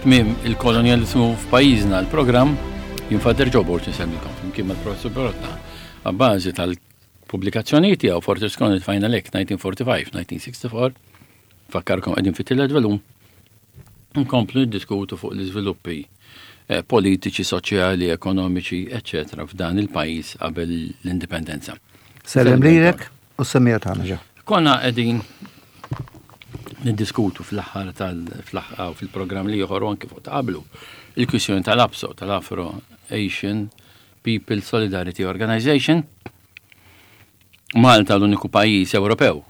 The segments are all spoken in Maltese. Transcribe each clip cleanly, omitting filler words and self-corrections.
Tmiem il-kolonjalizmu f'pajjiżna l-programm jien Father Joe Borg insellmilkom flimkien mal-Professur Perotta għabbażi tal-pubblikazzjonijiet tiegħu Fortress Colony Final Act 1945-1964 fakkarkom qegħdin fit-tielet volum nkomplu niddiskutu fuq l-iżviluppi eh, politiċi, soċjali, ekonomiċi, eċċetera f'dan il-pajjiż qabel l-indipendenza. Sellem lilek u s-semmija tagħna ġew. Konna qegħdin niddiskutu fl-aħħar tal-fl-aħħar fil-programm li ieħor u anki fuq ta' qablu il-kwistjoni tal-APSO, tal-Afro Asian People Solidarity Organization. Malta l-uniku pajjiż Ewropew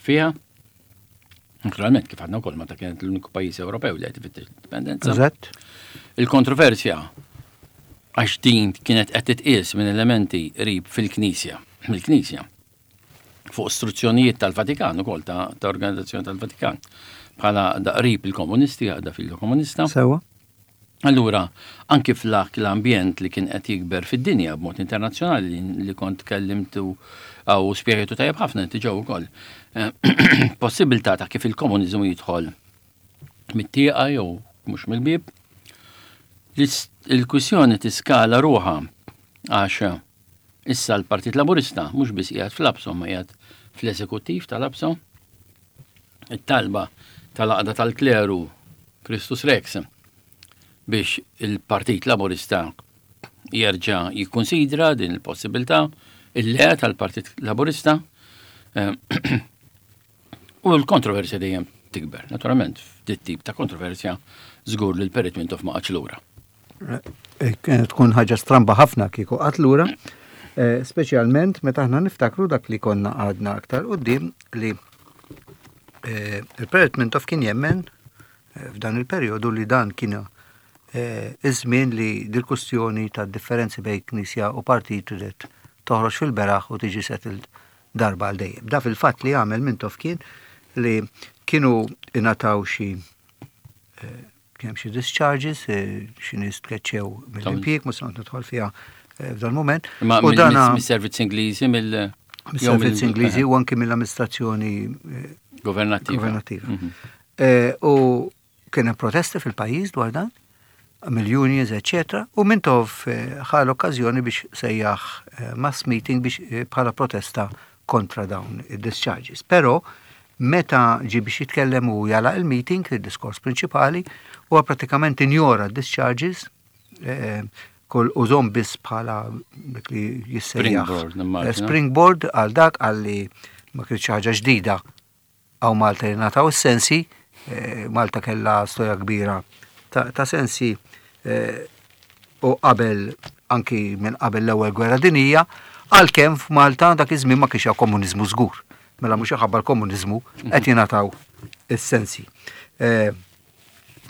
fiha. Naturalment, kif għadna wkoll Malta kienet l-uniku pajjiż Ewropew li qed ifittex l-indipendenza. Eżatt. Il-kontroversja għax din kienet qed titqies minn elementi qrib fil-Knisja, mill-Knisja, fuq istruzzjonijiet tal-Vatikan ukoll ta', ta organizzazzjoni tal-Vatikan bħala daqrib il-komunisti, għaqda fil-komunista. Sewa. Allura, anki f'dak l-ambjent li kien qed jikber fid-dinja b'mod internazzjonali li kont kellimtu u spjegajtu tajjeb ħafna inti ġew ukoll, eh, possibilità ta' kif il-komuniżmu jidħol mit-tieqa jew mhux mill-bieb. Il-kwissjoni tiskala ruħha għax issa l-Partit Laburista mhux biss qiegħed fl-APSO ma qiegħed fl-eżekuttiv tal-APSO. It-talba tal-għaqda tal-kleru Christus Rex biex il-Partit Laburista jerġa' jikkunsidra din il-possibilità, il-le tal-Partit Laburista eh, u l-kontroversja dejjem tikber. Naturalment, f'dit tip ta' kontroversja żgur li l-Perit Mintoff ma qatx lura. Eh, kienet tkun ħaġa stramba ħafna kieku qatt lura, eh, speċjalment meta aħna niftakru dak li konna għadna aktar qudiem li eh, il-Perit Mintoff kien jemmen f'dan il-perjodu li dan kien iż-żmien li dil-kustjoni ta' differenzi bejn knisja u partit ridet toħroġ fil-beraħ u tiġi settled darba għal dejjem. Da fil-fatt li għamel Mintoff kien li kienu ingħataw xi Kien hemm xi discharges, eh, xi nies tkeċċew mill-impjieg, mhux se nidħol fiha eh, f'dan mument. Ma u dan mis-servizz Ingliżi mill mis-servizz Ingliżi u anki mill-amministrazzjoni eh, governattiva. governattiva. Mhm. U kien hemm protesti fil-pajjiż dwar dan, mill-unions, eccetera, u Mintoff ħa l-okkażjoni biex sejjaħ mass meeting biex bħala protesta kontra dawn id-discharges. Però meta ġie biex jitkellem u jagħlaq il-meeting, il-diskors prinċipali, huwa pratikament injora d-discharges, eh, kull użom biss bħala dik li jissejjaħ. Springboard, eh, Springboard għal dak għal li ma kienx ħaġa ġdida għaw Malta li nataw is-sensi, eh, Malta kellha storja kbira ta' sensi eh, u qabel anki minn qabel l-ewwel gwerra dinija, għalkemm f'Malta dak iż-żmien ma kienx hawn komuniżmu żgur. Mela mhux ħabba l-komuniżmu qed jingħataw is-sensi. Eh,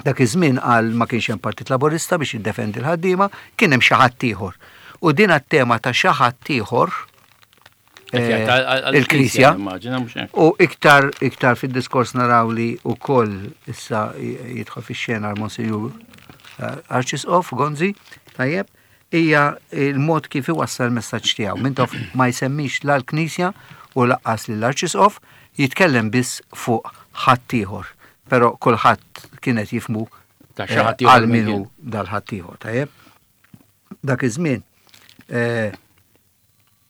dak iż-żmien qal ma kienx hemm Partit Laburista biex jiddefendi l-ħaddiema, kien hemm xi ħadd ieħor. U din għat-tema ta' xi ħadd ieħor eh, il-Knisja. U iktar iktar fid-diskors naraw li wkoll issa jidħol fix-xena l-Monsinjur eh, Arċisqof Gonzi, tajjeb, hija il-mod kif iwassal messaġġ tiegħu. Mintoff ma jsemmix la l-Knisja u laqqas lill-Arċisqof, jitkellem biss fuq ħaddieħor. Però kulħadd kienet jifmu eh, għal minu dal-ħaddieħor, tajjeb. Dak iż-żmien eh,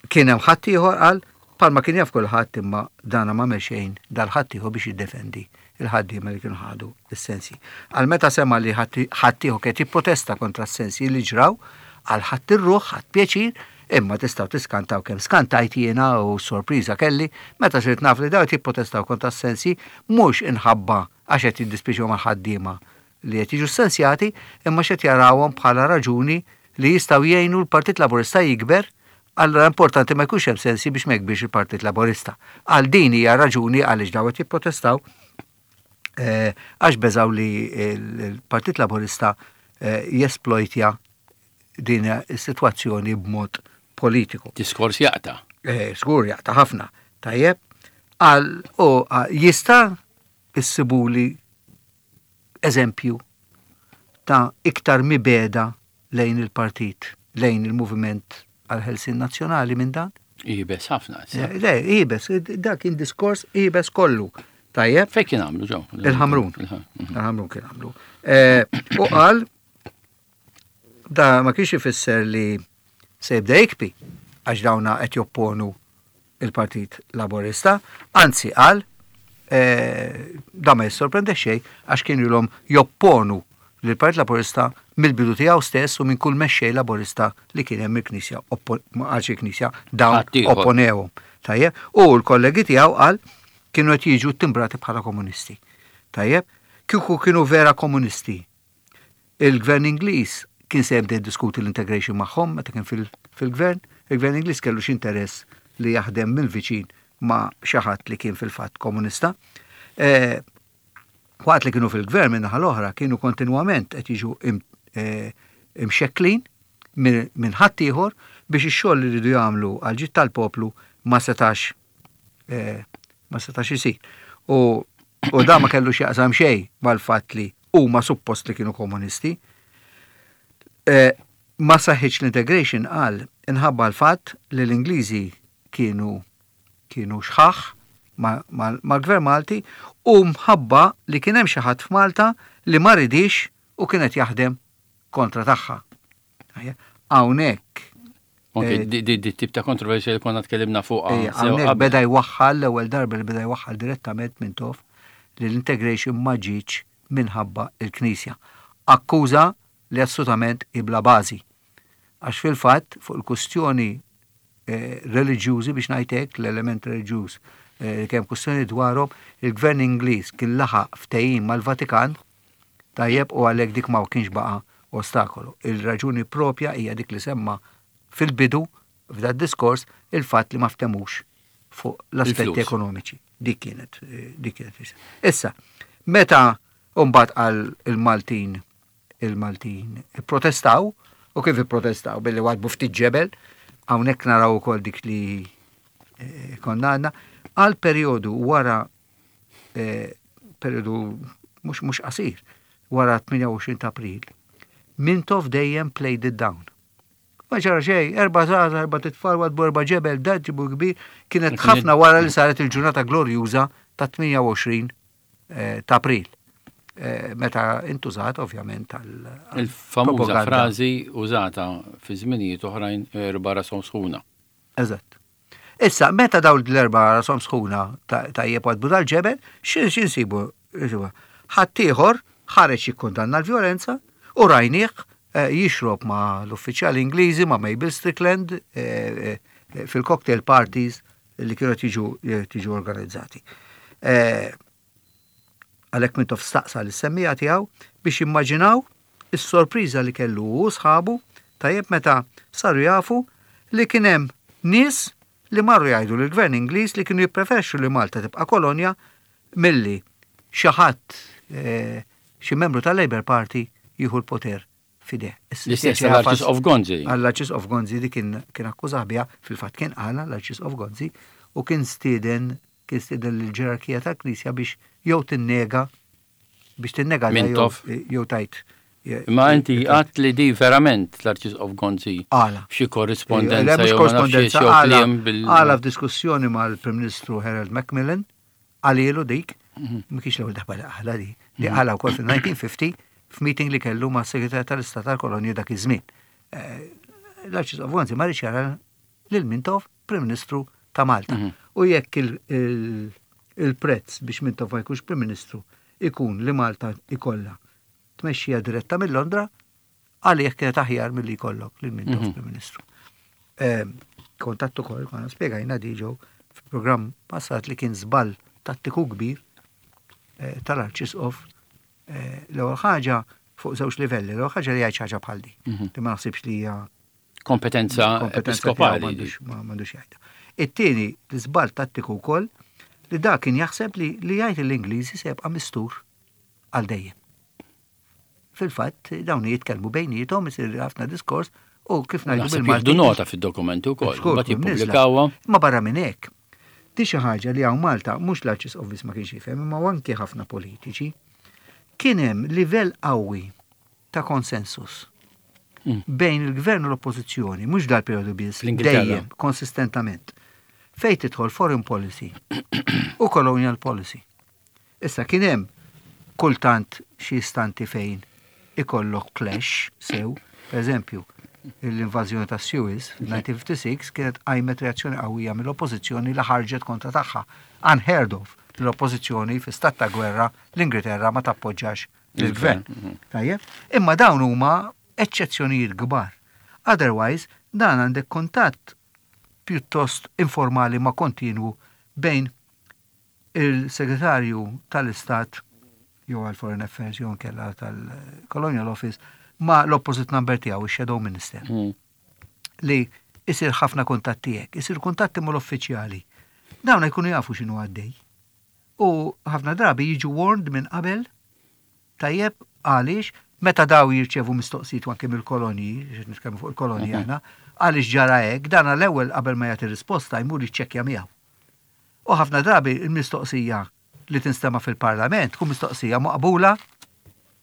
Kien hemm ħaddieħor qal, bħalma kien jaf kulħadd imma dana m'għamel xejn dal-ħaddieħor biex jiddefendi l-ħaddiema li kienu ħadu s-sensji. Qal meta sema' li ħaddieħor kien qed jipprotesta kontra s-sensji li ġraw, qal ħadt ir-ruħ, ħadt pjaċir, imma tistgħu tiskantaw kemm skantajt jiena u sorpriża kelli meta sirt naf li dawn qed jipprotestaw kontra s-sensji mhux inħabba għax qed jiddispjaċihom għall-ħaddiema li qed jiġu ssensjati imma x'qed jarawhom bħala raġuni li jistgħu jgħinu l-Partit Laburista jikber, allura importanti ma jkunx hemm sensji biex ma jikbirx il-Partit Laburista. Għal din hija raġuni għaliex dawn qed jipprotestaw eh, għax beżaw li l-Partit Laburista eh, jesplojtja din is-sitwazzjoni b'mod politiku. Diskors jaqta. Eh, żgur jaqta ħafna. Tajjeb, għal u jista' issibuli eżempju ta' iktar mibegħda lejn il-partit, lejn il-moviment għall-ħelsien nazzjonali minn dan? Iebes ħafna. Le, iebes, dak kien diskors iebes kollu. Tajjeb. Fejn kien għamlu ġew? Il-Ħamrun. Il-Ħamrun kien għamlu. Eh, u qal da ma kienx ifisser li se jibda jikpi għax dawna qed jopponu il-Partit Laburista, anzi qal eh, da ma jissorprende xejn għax kienu ilhom jopponu lill-Partit Laburista mill-bidu tiegħu stess u minn kull mexxej Laburista li kien hemm il-Knisja għal xi Knisja dawn opponewhom. Tajjeb, u l-kollegi tiegħu qal kienu qed jiġu ttimbrati bħala komunisti. Tajjeb, kieku kienu vera komunisti. Il-gvern Ingliż kien se jibda jiddiskuti l-integration magħhom meta kien fil-gvern, il-gvern Ingliż kellu x'interess li jaħdem mill-viċin ma' xi ħadd li kien fil-fatt komunista. Eh, Waqt li kienu fil-gvern min-naħa l-oħra kienu kontinwament qed jiġu eh, imxekklin minn ħaddieħor biex ix-xogħol li rridu jagħmlu għal ġid tal-poplu ma setax eh, ma setax isir. U, u da ma kellu x'jaqsam xejn mal-fatt li huma suppost li kienu komunisti. Eh, ma saħħitx l-integration qal inħabba l-fatt li l-Ingliżi kienu kienu xħaħ mal-Gvern Malti u mħabba li kien hemm xi ħadd f'Malta li ma ridhiex u kien qed jaħdem kontra tagħha. Hawnhekk Anke eh, di tip ta' kontroversja li konna tkellimna fuq. Hawnhekk beda jwaħħal l-ewwel darba li beda jwaħħal direttament minn tof li l-integration ma ġietx minħabba l-Knisja. Akkuża li assolutament hi bla bażi. Għax fil-fatt fuq il-kustjoni eh, reliġjużi biex ngħid hekk, l-element reliġjuż eh, li kemm kustjoni dwarhom, il-gvern Ingliż kien laħaq ftehim mal-Vatikan tajjeb u għalhekk dik ma kienx baqa' ostakolu. Il-raġuni propja hija dik li semma fil-bidu f'da diskors il-fatt li ma ftemux fuq l-aspetti ekonomiċi. Dik kienet, eh, dik kienet. Issa, meta mbagħad għal il-Maltin il-Maltin ipprotestaw, u kif ipprotestaw billi wadbu ftit ġebel, hawnhekk naraw ukoll dik li eh, konna għandna, għal perjodu wara eh, perjodu mhux mhux qasir, wara 28 ta' April, Mintoff dejjem played it down. Ma ġara xejn, erba' żgħażagħ, erba' titfal, wadbu erba' ġebel, da ġibu kbir, kienet ħafna wara li saret il-ġurnata glorjuża ta' 28 eh, ta' April. Eh, meta intużat ovvjament għal Il-famuża frażi użata fi żminijiet oħrajn erba' rashom sħuna. Eżatt. Issa, meta dawn l-erba' rashom sħuna tajjeb għadbu dal-ġebel, x'insibu? Ħaddieħor ħareġ jikkundanna l-vjolenza u rajnieh eh, jixrob ma' l-uffiċjali Ingliżi ma' Mabel Strickland fil-cocktail parties li kienu qed jiġu jiġu organizzati. Eh, għalhekk Mintoff staqsa lis-semmiegħa tiegħu biex jimmaġinaw is-sorpriża li kellu hu u sħabu tajjeb meta saru jafu li kien hemm nies li marru jgħidu lill-Gvern Ingliż li kienu jippreferxu li Malta tibqa' kolonja milli xi ħadd eh, xi membru tal-Labour Party jieħu l-poter f'idejh. L-istess għall-Arċisqof Gonzi. Għall-Arċisqof Gonzi di kien kien akkużah biha, fil-fatt kien qalha l-Arċisqof Gonzi u kien stieden kien stieden lill-ġerarkija tal-Knisja biex jew tinnega biex tinnega jew tajt. Ma inti għat li di verament l-Arċisqof Gonzi. Għala. Xi korrispondenza. Mhux korrispondenza. Għala f'diskussjoni mal-Prim Ministru Harold Macmillan Qalilu dik, ma kienx l-ewwel darba li qalha di, li qalha wkoll fil-1950 f'meeting li kellu ma' segretarju tal-Istat tal-Kolonja dak iż-żmien. Eh, L-Arċisqof Gonzi ma rridx jara lil Mintoff Prim Ministru ta' Malta. Mhm. U jekk il-prezz biex Mintoff ma jkunx Prim Ministru ikun li Malta ikollha tmexxija diretta minn Londra, Għalih kienet aħjar milli jkollok lil Mintoff mhm. Prim Ministru. Ehm, kontatt ukoll konna spjegajna diġo fil-programm passat li kien żball tattiku kbir eh, tal-Arċisqof eh, l-ewwel ħaġa fuq żewġ livelli, l-ewwel ħaġa li jgħid ħaġa bħal di, mhm. li ma naħsibx li hija kompetenza episkopali. M'għandux jgħidha. It-tieni l-iżball tattiku wkoll li dak kien jaħseb li li jgħid l-Ingliżi se jibqa' mistur għal dejjem. Fil-fatt, dawn jitkellmu bejniethom, isir ħafna diskors u kif ngħidu bil-Malti. nota fid-dokumenti wkoll, mbagħad jippubblikawha. Ma barra minn hekk, di xi ħaġa li hawn Malta mhux l-Arċisqof biss ma kienx jifhem, imma anki ħafna politiċi. Kien hemm livell qawwi ta' konsensus mm. bejn il-gvern u l-oppożizzjoni, mhux dal-perjodu biss, dejjem konsistentament. Fejn tidħol foreign policy u colonial policy. Issa kien hemm kultant xi istanti fejn ikollok clash sew, per eżempju, l-invażjoni ta' Suez fil-1956 kienet qajmet reazzjoni qawwija mill-oppożizzjoni li ħarġet kontra tagħha. Unheard of l-oppożizzjoni fi stat ta' gwerra l-Ingilterra ma tappoġġax lill-gvern. Tajjeb? Imma dawn huma eċċezzjonijiet kbar. Otherwise, dan għandek kuntatt pjuttost informali ma kontinwu bejn il-Segretarju tal-Istat jew għal Foreign Affairs jew nkella tal-Colonial Office ma l-opposite number tiegħu ix-Shadow Minister. Li isir ħafna kuntatti hekk, isir kuntatti mal-uffiċjali. Dawn jkunu jafu x'inhu għaddej. U ħafna drabi jiġu warned minn qabel tajjeb għaliex meta daw jirċevu mistoqsijiet anke mill-kolonji, nitkellmu fuq il-kolonji aħna, għaliex ġara hekk, dan l-ewwel qabel ma jagħti risposta jmur jiċċekkja miegħu. U ħafna drabi il-mistoqsija li tinstema fil-parlament tkun mistoqsija maqbula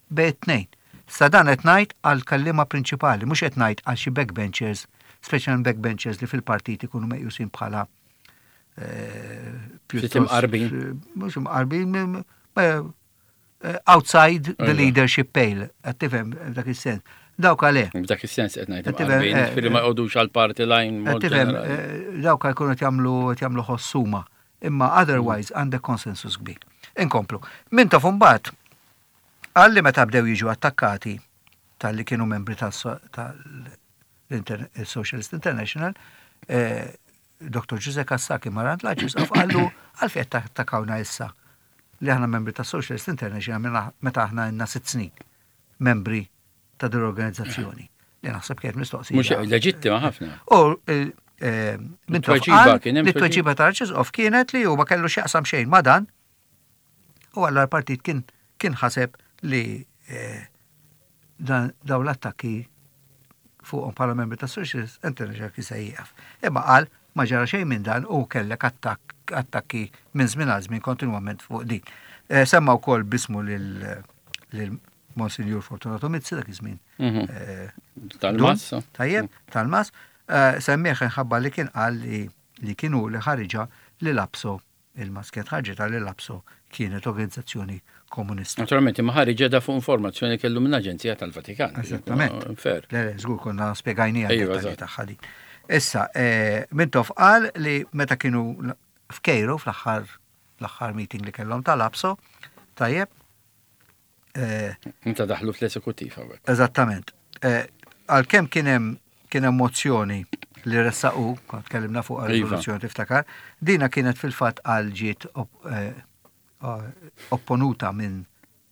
bejn it-tnejn. Sa dan qed ngħid għal kellima prinċipali, mhux qed ngħid għal xi backbenchers, speċjalment backbenchers li fil-partit ikunu meqjusin bħala pjuttost imqarbin. Mhux imqarbin, outside the leadership pale, qed tifhem f'dak is-sens. Dawk għale. F'dak is-sens qed ngħid imqarbin, ġifieri ma jqogħdux għal party line. Qed tifhem, dawk jkunu qed jagħmlu qed jagħmlu ħossuma. Imma otherwise għandek konsensus kbir. Inkomplu. Mintoff imbagħad qal li meta bdew jiġu attakkati tal-li kienu membri tal-Socialist International, Dr. Ġuże Cassà kien mar għand l-Arċisqof qallu għalfejn qed tattakawna issa li aħna membri ta' Socialist International meta aħna għandna 6 snin membri ta' din l-organizzazzjoni. Li naħseb kienet mistoqsija. Mhux leġittima ħafna. U minn Tweġiba kien hemm li tweġiba tal-Arċisqof kienet li hu ma kellu x'jaqsam xejn ma' dan u għalla l-partit kien kien ħaseb li dan daw l-attakki fuqhom bħala membri ta' Socialist International kien se jieqaf. Imma qal ma ġara xejn minn dan u kellek attakki minn żmien għal żmien kontinwament fuq din. Semma wkoll bismu lil Monsignor Fortunato Mizzi dak iż-żmien. Tal-Mas. Tajjeb, tal-Mas. Semmieħ inħabba li kien qal li kienu li ħariġa li l-APSO il-Mas kienet ħarġet li l-APSO kienet organizzazzjoni komunista. Naturalment, imma ħariġa da fuq informazzjoni kellu minn Aġenzija tal-Vatikan. Eżattament. Fair. Le, le, żgur konna spjegajnija d-dettalji tagħha din. Issa, Mintoff qal li meta kienu f'Kejro fl-aħħar l-aħħar meeting li kellhom tal-APSO, tajjeb. Meta daħlu fl-eżekuttiv hawnhekk. Eżattament. Għalkemm kien hemm kien hemm mozzjoni li ressaqu, kont tkellimna fuq riżoluzzjoni tiftakar, dina kienet fil-fatt għal ġiet opponuta minn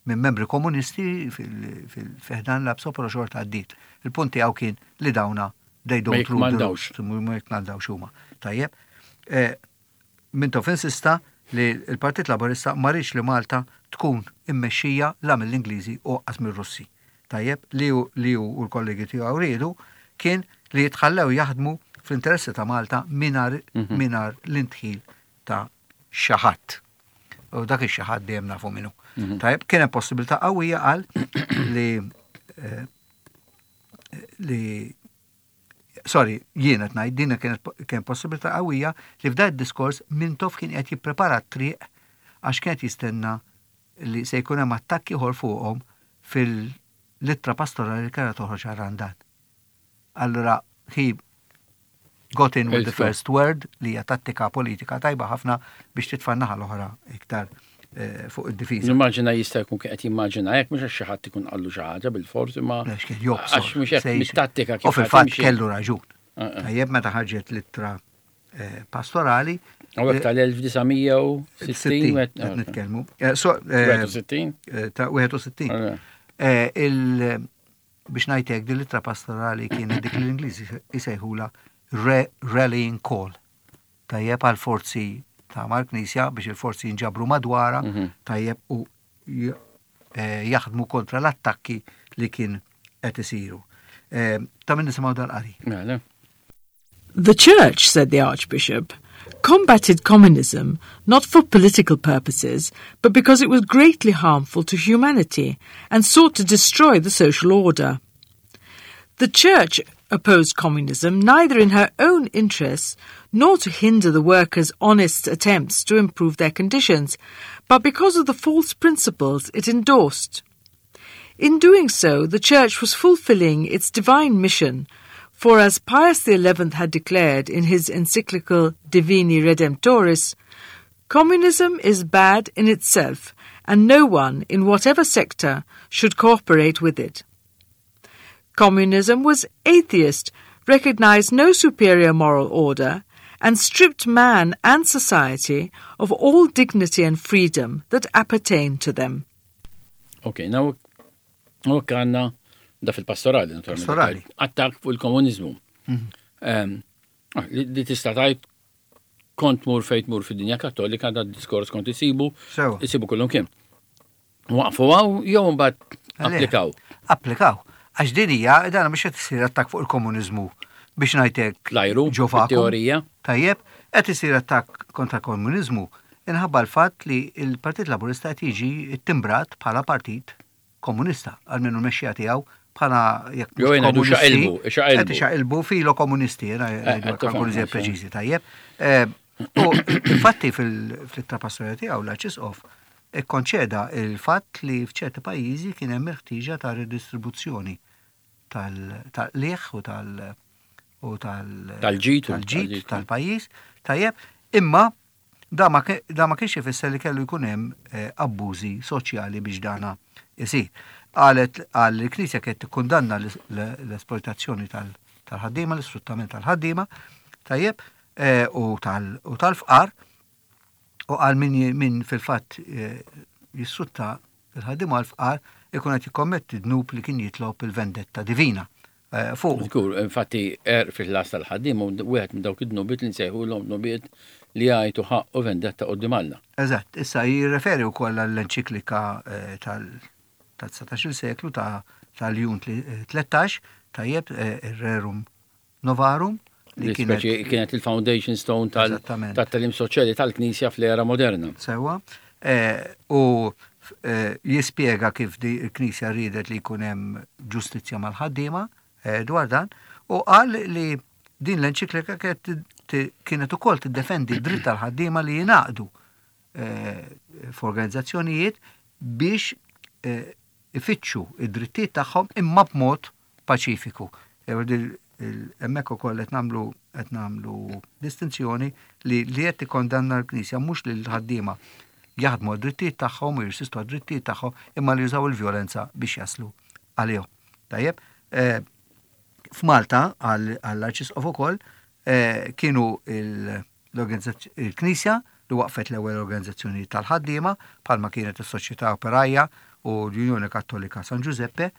minn membri komunisti fil-ħdan l-APSO, però xorta għaddiet. Il-punt tiegħu kien li dawna they don't rule the roost, ma jikmandawx huma. Tajjeb. Mintoff insista li l-Partit Laburista ma riedx li Malta tkun immexxija la mill-Ingliżi u anqas mir-Russi. Tajjeb, li hu li hu u l-kollegi tiegħu riedu kien li jitħallew jaħdmu fl-interessi ta' Malta mingħajr mingħajr l-indħil ta' xi ħadd. U dak ix-xi ħadd dejjem nafu min hu. Tajjeb, kien hemm possibilità qawwija qal li li sorry, jien qed ngħid din kienet kien possibilità qawwija li f'dan id-diskors Mintoff kien qed jipprepara t-triq għax kien qed jistenna li se jkun hemm attakk ieħor fuqhom fil-ittra pastorali li kellha toħroġ għal Randan. Allura he got in with the first word li hija tattika politika tajba ħafna biex titfa' naħa l-oħra iktar fuq id-difiża. Nimmaġina jista' jkun qed jimmaġina hekk mhux għax xi ħadd ikun qallu xi ħaġa bil-fors imma Għax kien jobsor. Għax mhux hekk mit-tattika kif. U fil-fatt kellu raġun. Tajjeb meta ħarġet l-ittra pastorali. Hawnhekk tal-1960 qed nitkellmu. 61? Ta' 61. Il biex ngħid hekk din l-ittra pastorali kienet dik li l-Ingliżi jsejħula rallying call. Tajjeb għal forzi ta' mal-Knisja biex il-forzi jinġabru madwarha, tajjeb u jaħdmu kontra l-attakki li kien qed isiru. Ta' min nisimgħu dal-qari. Mela. The Church, said the Archbishop, combated communism not for political purposes, but because it was greatly harmful to humanity and sought to destroy the social order. The Church opposed communism neither in her own interests nor to hinder the workers' honest attempts to improve their conditions, but because of the false principles it endorsed. In doing so, the Church was fulfilling its divine mission, for as Pius XI had declared in his encyclical Divini Redemptoris, communism is bad in itself, and no one, in whatever sector, should cooperate with it. Communism was atheist, recognized no superior moral order, and stripped man and society of all dignity and freedom that appertain to them. Ok, now, ok għanna da fil-pastorali, naturalment. Pastorali. Attak fuq il-komunizmu. Mm -hmm. Li tista' tajt kont mur fejt mur fid-dinja kattolika da diskors kont isibu, isibu kullum kien. Waqfu għaw jew mbagħad applikaw. Applikaw. Għax din hija dan mhux qed isir attakk fuq il-komuniżmu biex ngħidlek. Lajru, ġo teorija. Tajjeb, qed isir attakk kontra komuniżmu inħabba l-fatt li l-Partit Laburista qed jiġi timbrat bħala partit komunista, għalmenu l-mexxija tiegħu bħala jekk mhux komunisti. Qed ixaqilbu filo komunisti, jiena eh, eh, preċiżi tajjeb. Eh, u infatti fil-ittra pastorali tiegħu l-Arċisqof ikkonċeda il-fatt li f'ċerti pajjiżi kien hemm il-ħtieġa ta' redistribuzzjoni tal-qligħ u tal- u tal- tal-ġid tal-ġid tal-pajjiż, tajjeb, imma da ma kienx ifisser li kellu jkun hemm eh, abbużi soċjali biex dana isir. Qalet qal li l-Knisja kienet tikkundanna l-esploitazzjoni tal-ħaddiema, l-isfruttament tal-ħaddiema, tajjeb, eh, u tal-fqar, U qal min, min fil-fatt eh, jissutta il-ħaddiema l-fqar ikun qed jikkommetti dnub li kien jitlob il-vendetta divina eh, fuq. Żgur, infatti er fil-ħlas tal-ħaddiem u wieħed minn dawk id-dnubiet li nsejħulhom dnubiet li jgħidu ħaqq u vendetta quddiem Alla. Eżatt, issa jirreferi wkoll għall-enċiklika eh, tal-19 seklu ta' tal-Jun 13, tajjeb, ir-Rerum Novarum li kienet kienet il-foundation stone tal-talim soċjali tal-Knisja fl-era moderna. Sewa. Eh, u eh, jispjega kif di l-Knisja riedet li jkun hemm ġustizzja mal-ħaddiema eh, dwar dan u qal li din l-enċiklika kienet ukoll tiddefendi d-dritt tal-ħaddiema li jingħaqdu f'organizzazzjonijiet biex ifittxu id-drittijiet tagħhom imma b'mod paċifiku. Hemmhekk ukoll qed nagħmlu qed nagħmlu distinzjoni li li qed tikkondanna l-Knisja mhux li l-ħaddiema jaħdmu għad-drittijiet tagħhom u jirsistu għad-drittijiet tagħhom imma li jużaw il-vjolenza biex jaslu għalihom. Tajjeb, eh, f'Malta għall-Arċisqof ukoll eh, kienu il- Il-Knisja li waqqfet l-ewwel organizzazzjonijiet tal-ħaddiema bħalma kienet is-Soċjetà Operaja u l-Unjoni Kattolika San Ġużeppe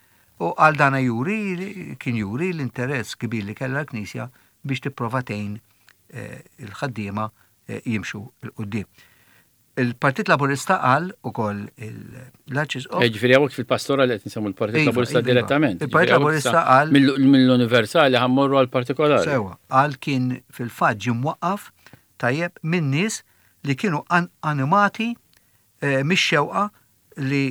u għal dana juri kien juri l-interess kbir li kellha l-Knisja biex tipprova tgħin eh, il-ħaddiema eh, jimxu 'l quddiem. Il-Partit Laburista qal ukoll l-Arċisqof. Eh, ġifieri hawnhekk fil-pastora li qed nsemmu l-Partit iva, Laburista iva, iva. direttament. Il-Partit Laburista qal mill-universali ħammorru għal partikolari. Sewa, qal kien fil-fatt ġie mwaqqaf tajjeb minn nies li kienu animati eh, mix-xewqa li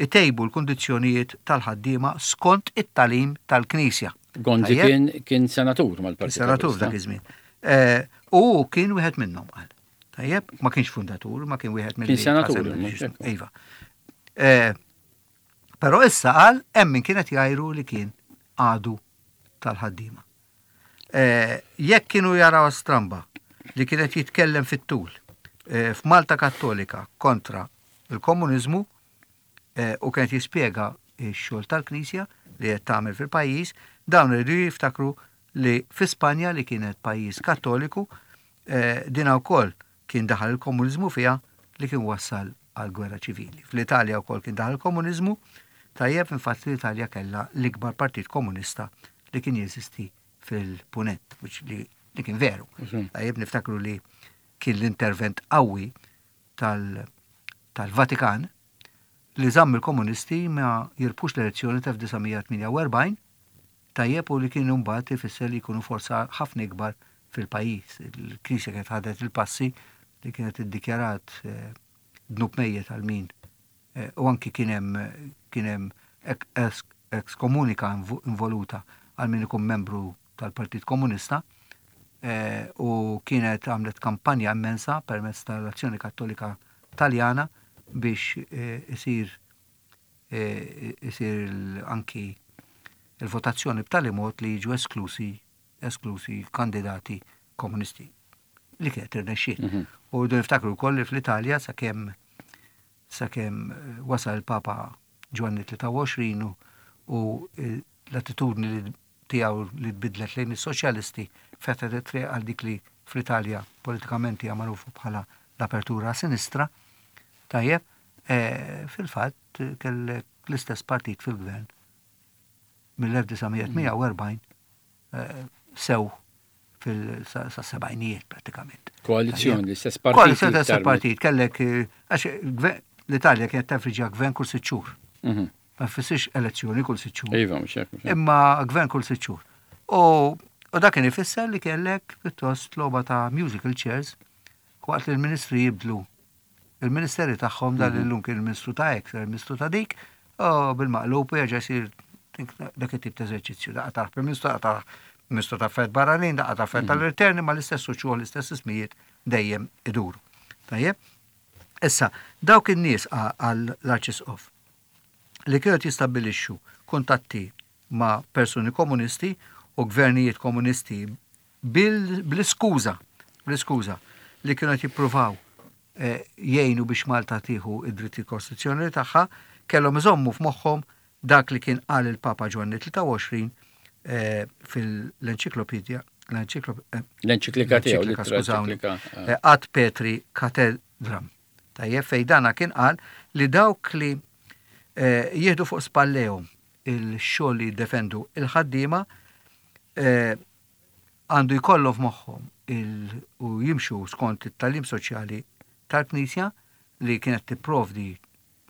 itejbu l-kundizzjonijiet tal-ħaddiema skont it-tagħlim tal-Knisja. Gonzi kien kien senatur mal-Partit. Senatur dak iż-żmien. Eh, u kien wieħed minnhom qal. Tajjeb, ma kienx fundatur, ma kien wieħed mill Kien senatur. Iva. Eh, però issa qal hemm min kienet jgħiru li kien għadu tal-ħaddiema. Eh, jekk kienu jaraw stramba li kienet jitkellem fit-tul eh, f'Malta Kattolika kontra il-komuniżmu u kienet jispjega x-xogħol tal-Knisja li qed tagħmel fil-pajjiż, dawn iridu jiftakru li fi Spanja li kienet pajjiż Kattoliku Dina wkoll kien daħal il-komuniżmu fiha li kien wassal għal gwerra ċivili. Fl-Italja wkoll kien daħal il-komuniżmu, tajjeb infatti l-Italja kellha l-ikbar partit komunista li kien jeżisti fil-punent, li, li kien veru. Mhm. Tajjeb niftakru li kien l-intervent qawwi tal-Vatikan li żamm il-komunisti ma jirbħux l-elezzjoni ta' 1948 tajjeb u li kien imbagħad ifisser li jkunu forza ħafna ikbar fil-pajjiż. Il-Knisja kienet ħadet il-passi li kienet iddikjarat eh, dnub mejjet għal min eh, u anki kien hemm kien hemm ekskomunika involuta għal min ikun membru tal-Partit Komunista eh, u kienet għamlet kampanja immensa permezz tal-Azzjoni Kattolika Taljana biex eh, isir eh, isir anki il-votazzjoni b'tali mod li jiġu esklusi esklusi kandidati komunisti li kienet irnexxiet. Mhm. U rridu niftakru wkoll li fl-Italja sakemm sakemm eh, wasal il-Papa Ġwanni 23 u l-attitudni li tiegħu li tbiddlet lejn is-soċjalisti fetħet it-triq għal dik li fl-Italja politikament hija magħrufa bħala l-apertura sinistra. Tajjeb, eh, fil-fatt kellek l-istess partit fil-gvern mill-1948 eh, sew fil-sebgħinijiet pratikament. Koalizjoni, l-istess partit. Koalizjoni l-istess partit, kellek, eh, għax l-Italja kienet tefriġa gvern kull sitt xhur. Mhm. Ma jfissirx elezzjoni kull sitt xhur. Iva, mhux hekk. Imma gvern kull sitt xhur. U dak kien ifisser li kellek pjuttost logħba ta' musical chairs waqt li l-ministri jibdlu il-ministeri tagħhom dan mhm. illum kien il-ministru ta' hekk, il-ministru ta' dik, u bil-maqlub u jerġa' jsir dak it-tip ta' eżerċizzju, daqqa ta' Prim Ministru, daqqa ta' Ministru ta' Affarijiet Barranin, daqqa ta' Affarijiet mhm. tal-Interni, ma l-istess uċuħ, l-istess ismijiet dejjem iduru. Tajjeb? Issa, dawk in-nies għall-Arċisqof li kienu jistabbilixxu kuntatti ma' persuni komunisti u gvernijiet komunisti bl-iskuża, bl-iskuża li kienu qed jippruvaw eh, jgħinu biex Malta tieħu id-drittijiet kostituzzjonali tagħha, kellhom iżommu f'moħħhom dak li kien qal il-Papa Ġwanni 23 eh, fil-enċiklopedja eh, l-enċiklika tiegħu, skużawni, Ad Petri Cathedram. Tajjeb fejn dana kien qal li dawk li jieħdu fuq spallejhom il-xogħol li jiddefendu il-ħaddiema għandu jkollhom f'moħħhom u jimxu skont it-tagħlim soċjali tal-Knisja li kienet tipprovdi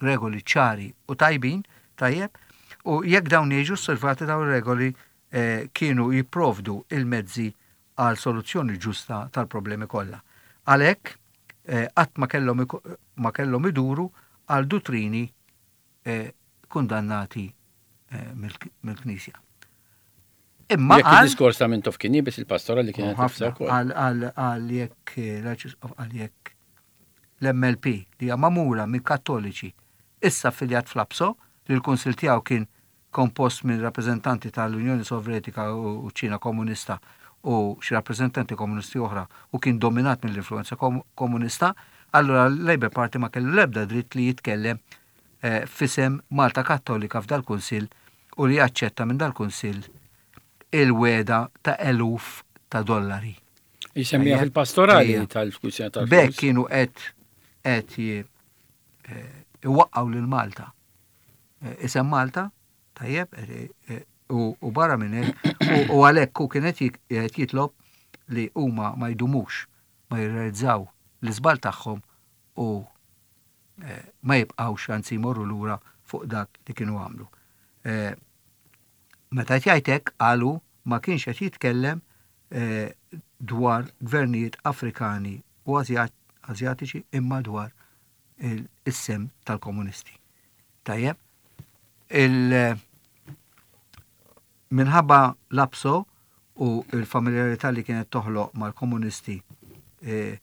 regoli ċari u tajbin, tajjeb, u jekk dawn jiġu osservati dawn ir-regoli eh, kienu jipprovdu il-mezzi għal soluzzjoni ġusta tal-problemi kollha. Għalhekk eh, qatt ma kellhom ma kellhom iduru għal duttrini eh, kundannati eh, mill-Knisja. Imma jekk il-diskors ta' Mintoff kien iebes il-pastora li kienet tifsa wkoll. Għal jekk l-Arċisqof għal jekk l-MLP li hija magħmula minn Kattoliċi issa affiljat fl-APSO li l-kunsill tiegħu kien kompost minn rappreżentanti tal-Unjoni Sovjetika u ċ-Ċina Komunista u xi rappreżentanti komunisti oħra u kien dominat mill-influenza komunista, allura l-Labour Party ma kellu l-ebda dritt li jitkellem eh, f'isem Malta Kattolika f'dal-kunsill u li jaċċetta minn dal-kunsill il-wegħda ta' eluf ta' dollari. Jisemmija fil-pastorali tal-kwistjoni tal Bekk kienu qed qed eh, iwaqqgħu lil Malta. Eh, isem Malta, tajjeb, eh, u barra minn hekk, u għalhekk hu kien qed jitlob li huma ma jdumux ma jirrealizzaw l-iżball tagħhom u ma jibqgħux anzi jmorru lura fuq dak li kienu għamlu. Eh, meta qed jgħid hekk qalu ma kienx qed jitkellem eh, dwar gvernijiet Afrikani u Azjatiċi imma dwar is-sem tal-komunisti. Tajjeb, il minħabba l-APSO u l-familjarità li kienet toħloq mal-komunisti eh,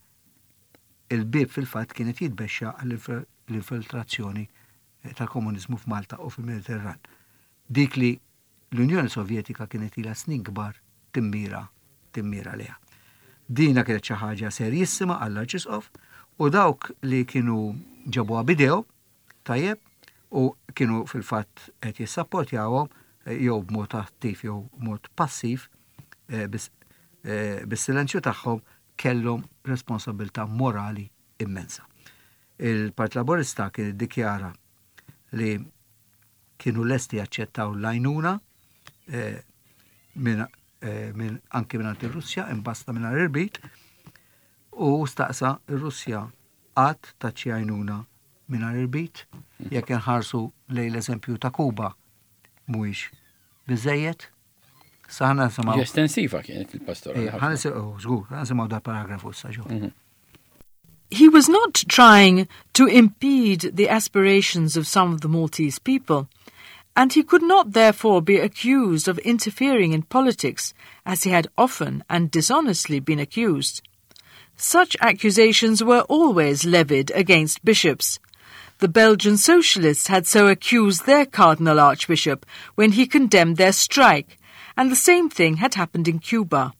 Il-bieb fil-fatt kien qed jitbexxa għall-infiltrazzjoni tal-komuniżmu f'Malta u fil-Mediterran. Dik li l-Unjoni Sovjetika kienet ilha snin kbar timmira timmira lejha. Dina kienet xi ħaġa serjissima għall-Arċisqof u dawk li kienu ġabuha b'idejhom tajjeb u kienu fil-fatt qed jissapportjawhom eh, jew b'mod attiv jew b'mod passiv eh, eh, bis-silenzju tagħhom kellhom responsabbiltà morali immensa. Il-Partit Laburista kien iddikjara li kienu lesti jaċċettaw l-għajnuna eh, minn eh, min, anki minn ir-Russja imbasta minn irbit u staqsa ir-Russja qatt ta' xi għajnuna mingħajr irbit jekk inħarsu lejn l-eżempju ta' Kuba mhuwiex biżejjed Sa ħana nisimgħu. Estensiva kienet il-pastora. Eh, ħana nisimgħu, oh, żgur, ħana nisimgħu da paragrafu issa ġo. Mhm. He was not trying to impede the aspirations of some of the Maltese people, and he could not therefore be accused of interfering in politics, as he had often and dishonestly been accused. Such accusations were always levied against bishops. The Belgian socialists had so accused their Cardinal Archbishop when he condemned their strike, and the same thing had happened in Cuba.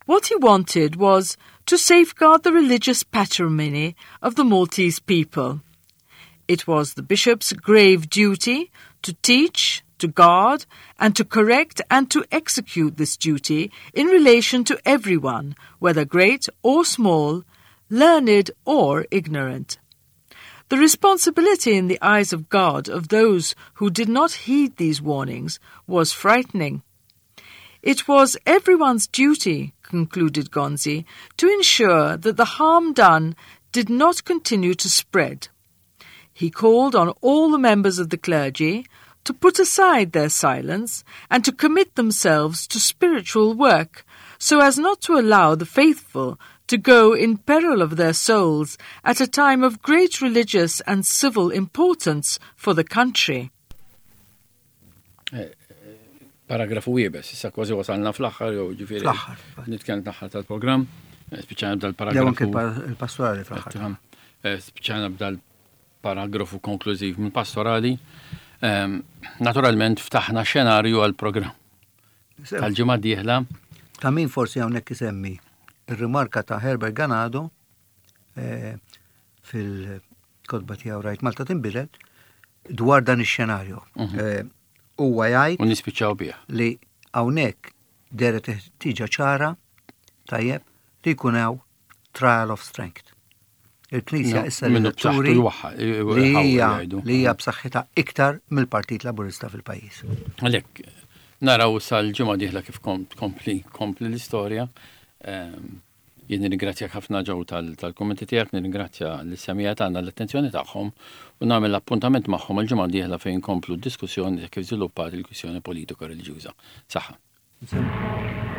What he wanted was to safeguard the religious patrimony of the Maltese people. It was the bishop's grave duty to teach, to guard, and to correct and to execute this duty in relation to everyone, whether great or small, learned or ignorant. The responsibility in the eyes of God of those who did not heed these warnings was frightening. It was everyone's duty, concluded Gonzi, to ensure that the harm done did not continue to spread. He called on all the members of the clergy to put aside their silence and to commit themselves to spiritual work so as not to allow the faithful to go in peril of their souls at a time of great religious and civil importance for the country. Eh, paragrafu iebes, issa kważi wasalna fl-aħħar jew ġifieri. Fl-aħħar. Nitkellem l-aħħar tal-programm, eh, spiċċajna b'dal-paragrafu. Jew anke il-pastorali fl-aħħar. Eh, spiċċajna b'dal-paragrafu konklużiv minn pastorali. Ehm, naturalment ftaħna xenarju għal-programm. Tal-ġimgħa d-dieħla. Ta' min forsi hawnhekk isemmi ir-rimarka ta' Herbert Ganado eh, fil-kotba tiegħu Rajt Malta tinbidel dwar dan ix-xenarju. Mhm. Eh, huwa jgħid U nispiċċaw bih. li hawnhekk dehret ħtieġa ċara tajjeb li jkun hawn trial of strength. Il-Knisja issa li turi li hija li hija b'saħħitha iktar mill-Partit Laburista fil-pajjiż. Għalhekk naraw sal-ġimgħa dieħla kif kompli kompli l-istorja. Ehm, jien nirringrazzjak ħafna ġew tal-kummenti tiegħek, nirringrazzja l-semija tagħna l-attenzjoni tagħhom u nagħmel appuntament magħhom il-ġimgħa dieħla fejn komplu d-diskussjoni kif żviluppat il-kwistjoni politika reliġjuża. Saħħa.